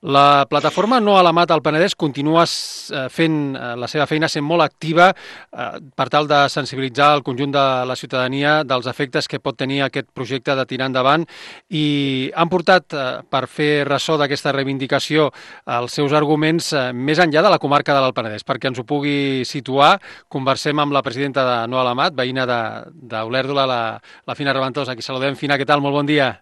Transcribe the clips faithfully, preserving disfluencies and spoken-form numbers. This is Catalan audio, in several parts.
La plataforma No a la Mata al Penedès continua fent la seva feina, sent molt activa per tal de sensibilitzar el conjunt de la ciutadania dels efectes que pot tenir aquest projecte de tirar endavant, i han portat, per fer ressò d'aquesta reivindicació, els seus arguments més enllà de la comarca de l'Alt Penedès. Perquè ens ho pugui situar, conversem amb la presidenta de No a la Mat, veïna d'Olèrdola, la, la Fina Reventós. Aquí saludem. Fina, què tal? Molt bon dia.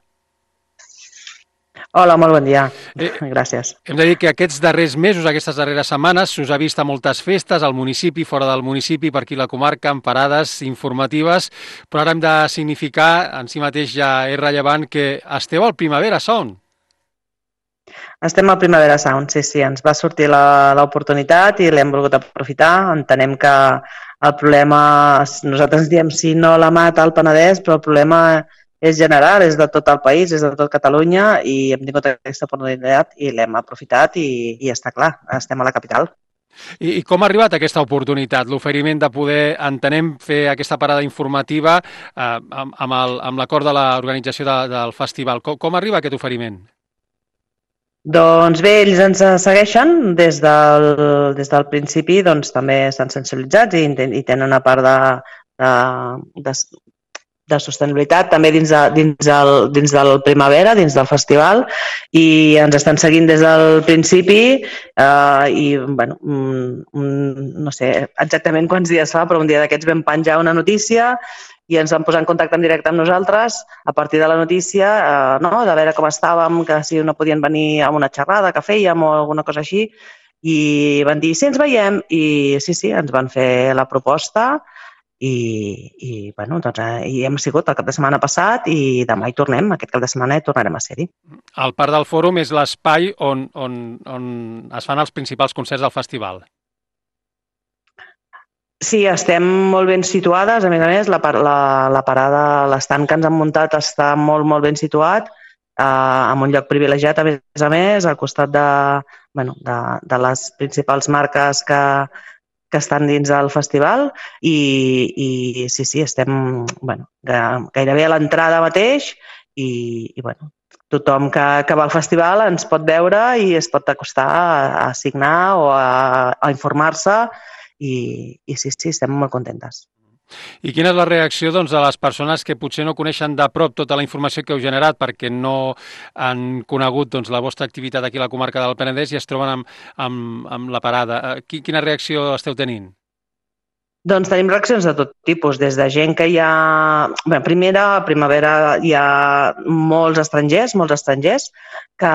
Hola, molt bon dia. Eh, Gràcies. Hem de dir que aquests darrers mesos, aquestes darreres setmanes, s'us ha vist a moltes festes al municipi, fora del municipi, per aquí la comarca, amb parades informatives, però ara hem de significar, en si mateix ja és rellevant, que esteu al Primavera Sound. Estem al Primavera Sound, sí, sí. Ens va sortir l'oportunitat i l'hem volgut aprofitar. Entenem que el problema, nosaltres diem si no la mata al Penedès, però el problema és general, és de tot el país, és de tot Catalunya, i hem tingut aquesta oportunitat i l'hem aprofitat i, i està clar, estem a la capital. I, I com ha arribat aquesta oportunitat, l'oferiment de poder, entenem, fer aquesta parada informativa eh, amb, amb l'acord de l'organització de, del festival? Com, com arriba aquest oferiment? Doncs bé, ells ens segueixen des del, des del principi, doncs també estan sensibilitzats i, i tenen una part de, de, de, de sostenibilitat també dins, de, dins, del, dins del Primavera, dins del festival, i ens estan seguint des del principi eh, i, bueno, no sé exactament quants dies fa, però un dia d'aquests vam penjar una notícia i ens vam posar en contacte en directe amb nosaltres a partir de la notícia, eh, no? De veure com estàvem, que si no podien venir a una xerrada que fèiem o alguna cosa així, i van dir, sí, ens veiem, i sí, sí, ens van fer la proposta. I, i, bueno, doncs, eh, hi hem sigut el cap de setmana passat i demà hi tornem, aquest cap de setmana hi tornarem a ser-hi. El Parc del Fòrum és l'espai on, on, on es fan els principals concerts del festival. Sí, estem molt ben situades, a més a més, la, la, la parada, l'estant que ens han muntat està molt, molt ben situat, eh, en un lloc privilegiat, a més a més, al costat de, bueno, de, de les principals marques que, que estan dins del festival, i, i sí, sí, estem bueno, gairebé a l'entrada mateix, i, i bueno, tothom que, que va al festival ens pot veure i es pot acostar a, a signar o a, a informar-se, i, i sí, sí, estem molt contentes. I quina és la reacció, doncs, de les persones que potser no coneixen de prop tota la informació que heu generat perquè no han conegut, doncs, la vostra activitat aquí a la comarca del Penedès i es troben amb, amb, amb la parada? Quina reacció esteu tenint? Doncs tenim reaccions de tot tipus, des de gent que hi ha... Bé, primera, a Primavera hi ha molts estrangers, molts estrangers que,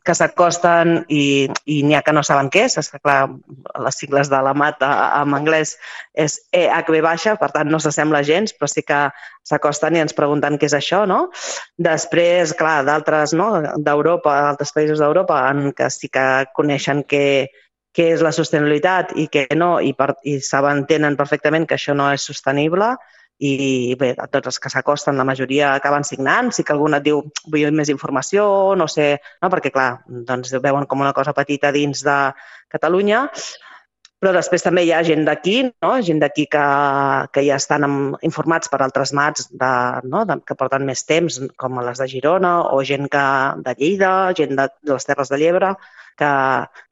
que s'acosten i, i n'hi ha que no saben què és. És que, clar, les sigles de la mata en anglès és E H V baixa, per tant no s'assembla gens, però sí que s'acosten i ens pregunten què és això, no? Després, clar, d'altres, no?, d'Europa, d'altres països d'Europa, en què sí que coneixen que què és la sostenibilitat i què no, i, per, i saben, tenen perfectament que això no és sostenible, i bé, tots els que s'acosten, la majoria acaben signant. Sí que algun et diu, vull més informació, no sé, no? Perquè clar, doncs veuen com una cosa petita dins de Catalunya, però després també hi ha gent d'aquí, no? Gent d'aquí que, que ja estan informats per altres mats de, no? de, que porten més temps, com les de Girona, o gent que, de Lleida, gent de, de les Terres de l'Ebre, que,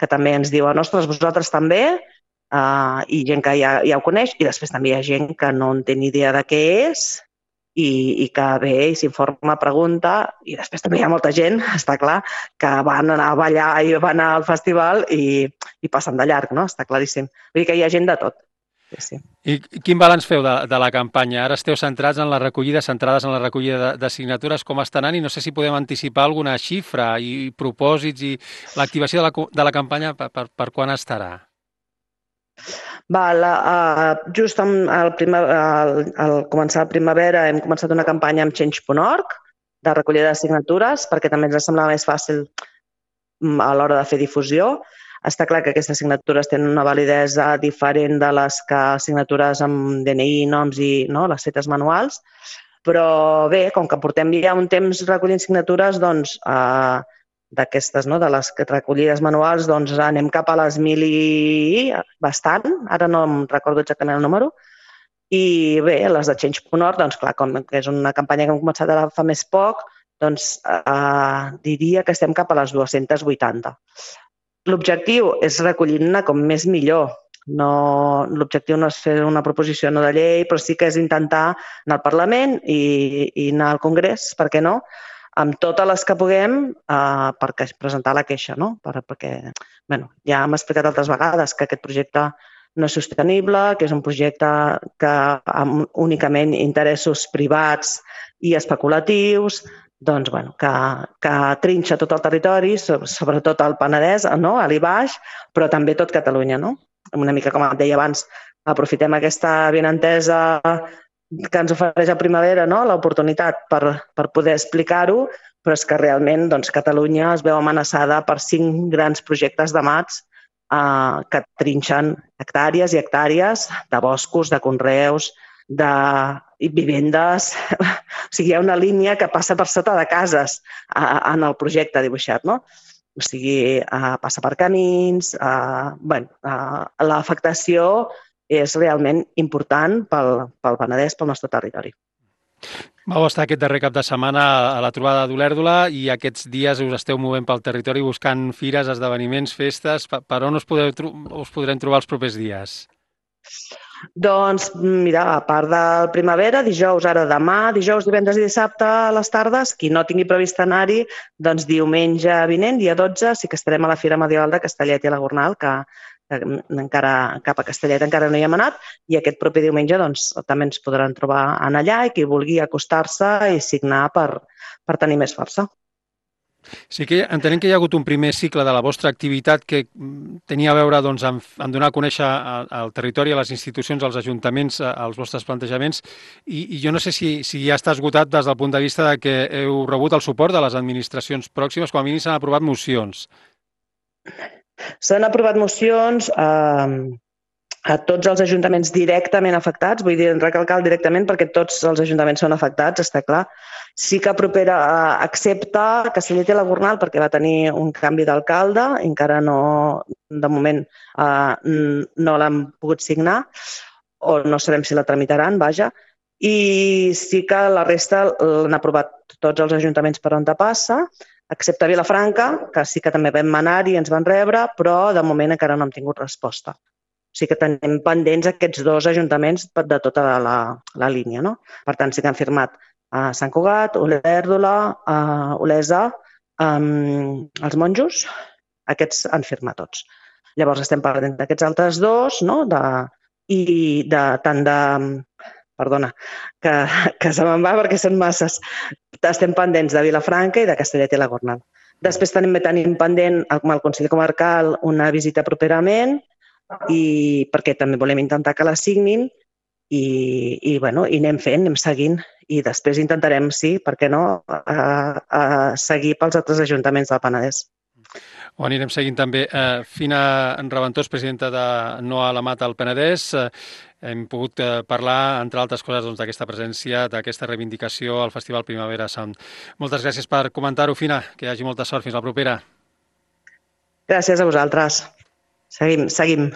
que també ens diuen, ostres, vosaltres també, uh, i gent que ja, ja ho coneix, i després també hi ha gent que no en té ni idea de què és i, i que ve i s'informa, pregunta, i després també hi ha molta gent, està clar, que van anar a ballar i van al festival i, i passen de llarg, no? Està claríssim. Vull dir que hi ha gent de tot. Sí, sí. I quin balanç feu de, de la campanya? Ara esteu centrats en la recollida, centrades en la recollida de, de signatures, com està anant, i no sé si podem anticipar alguna xifra i propòsits i l'activació de, la, de la campanya per, per, per quan estarà? Val, uh, just al, primer, al, al començar la primavera hem començat una campanya amb change punt org de recollida de signatures perquè també ens semblava més fàcil a l'hora de fer difusió. Està clar que aquestes signatures tenen una validesa diferent de les que signatures amb D N I, noms i no, les fetes manuals, però bé, com que portem ja un temps recollint signatures, doncs eh, d'aquestes, no, de les recollides manuals, doncs anem cap a les mil i bastant, ara no em recordo exactament el número, i bé, les de change punt org, doncs clar, com que és una campanya que hem començat ara fa més poc, doncs eh, diria que estem cap a les dues-centes vuitanta. L'objectiu és recollir-ne com més millor. No, l'objectiu no és fer una proposició no de llei, però sí que és intentar anar al Parlament i, i anar al Congrés, per què no?, amb totes les que puguem eh, per presentar la queixa, no? Per, perquè bueno, ja hem explicat altres vegades que aquest projecte no és sostenible, que és un projecte que amb únicament interessos privats i especulatius, doncs, bueno, que, que trinxa tot el territori, sobretot el Penedès, no? A l'I Baix, però també tot Catalunya, no? Una mica com et deia abans, aprofitem aquesta benentesa que ens ofereix a Primavera, no? L'oportunitat per, per poder explicar-ho, però és que realment doncs, Catalunya es veu amenaçada per cinc grans projectes de mats eh, que trinxen hectàrees i hectàrees de boscos, de conreus, de vivendes. O sigui, hi ha una línia que passa per sota de cases eh, en el projecte dibuixat, no? O sigui, eh, passa per camins, eh, bueno, eh, l'afectació és realment important pel, pel Penedès, pel nostre territori. Vau estar aquest darrer cap de setmana a la trobada d'Olèrdola i aquests dies us esteu movent pel territori buscant fires, esdeveniments, festes. Per on us, podeu, us podrem trobar els propers dies? Doncs, mira, a part del Primavera, dijous, ara demà, dijous, divendres i dissabte a les tardes, qui no tingui previst anar-hi, doncs diumenge vinent, dia dotze, sí que estarem a la Fira Medieval de Castellet i la Gornal, que, que encara cap a Castellet encara no hi hem anat, i aquest proper diumenge doncs, també ens podran trobar en allà i qui vulgui acostar-se i signar per, per tenir més força. Sí que entenem que hi ha hagut un primer cicle de la vostra activitat que tenia a veure doncs, amb, amb donar a conèixer al territori, a les institucions, als ajuntaments, als vostres plantejaments, i, i jo no sé si, si ja està esgotat des del punt de vista de que heu rebut el suport de les administracions pròximes, com a mínim s'han aprovat mocions. S'han aprovat mocions eh, a tots els ajuntaments directament afectats, vull dir, recalcar directament perquè tots els ajuntaments són afectats, està clar. Sí que propera accepta Castellet i la Gornal perquè va tenir un canvi d'alcalde, encara no, de moment, eh, no l'han pogut signar, o no sabem si la tramitaran, vaja, i sí que la resta l'han aprovat tots els ajuntaments per on passa, excepte Vilafranca, que sí que també vam anar i ens van rebre, però de moment encara no hem tingut resposta. O sigui que tenim pendents aquests dos ajuntaments de tota la, la línia, no? Per tant, sí que han firmat a Sant Cugat, Olèrdola, a Olesa, um, els monjos, aquests han firmat tots. Llavors estem parlant d'aquests altres dos, no? De, i de, tant de... Perdona, que, que se me'n va perquè són masses. Estem pendents de Vilafranca i de Castellet i la Gornal. Després tenim, tenim pendent amb el Consell Comarcal una visita properament i perquè també volem intentar que la signin i, i, bueno, i anem fent, anem seguint i després intentarem, sí, per què no, a, a seguir pels altres ajuntaments del Penedès. Ho anirem seguint també. Eh, Fina Raventós, presidenta de No a la Mata al Penedès, eh, hem pogut eh, parlar, entre altres coses, doncs, d'aquesta presència, d'aquesta reivindicació al Festival Primavera Sound. Moltes gràcies per comentar-ho, Fina. Que hi hagi molta sort. Fins la propera. Gràcies a vosaltres. Seguim, seguim.